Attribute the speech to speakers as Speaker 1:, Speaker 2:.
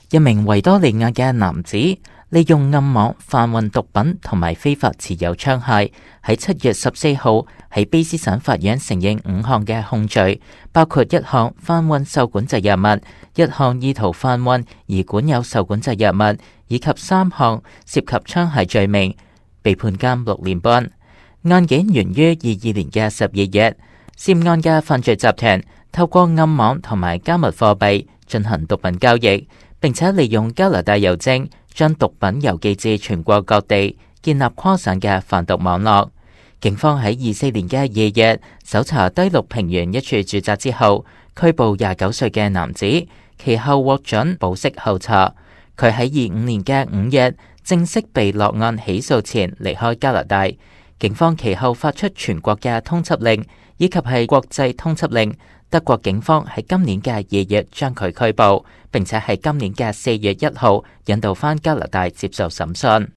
Speaker 1: 一名維多利亞嘅男子利用暗網販運毒品同埋非法持有槍械，喺7月14號喺卑詩省法院承認5項嘅控罪，包括1項販運受管制藥物、1項意圖販運而管有受管制藥物，以及3項涉及槍械罪名，被判監6年半。案件源於22年嘅12月，涉案嘅犯罪集團透過暗網同埋加密貨幣進行毒品交易，並且利用加拿大郵政將毒品郵寄至全國各地，建立跨省嘅販毒網絡。警方喺24年嘅2月搜查低陸平原一處住宅之後，拘捕29歲嘅男子，其後獲准保釋候查。佢喺25年嘅5月正式被落案起訴前離開加拿大。警方其後發出全國嘅通緝令，以及係國際通緝令。德國警方喺今年嘅2月將佢拘捕，並且喺今年嘅4月1號引渡返加拿大接受審訊。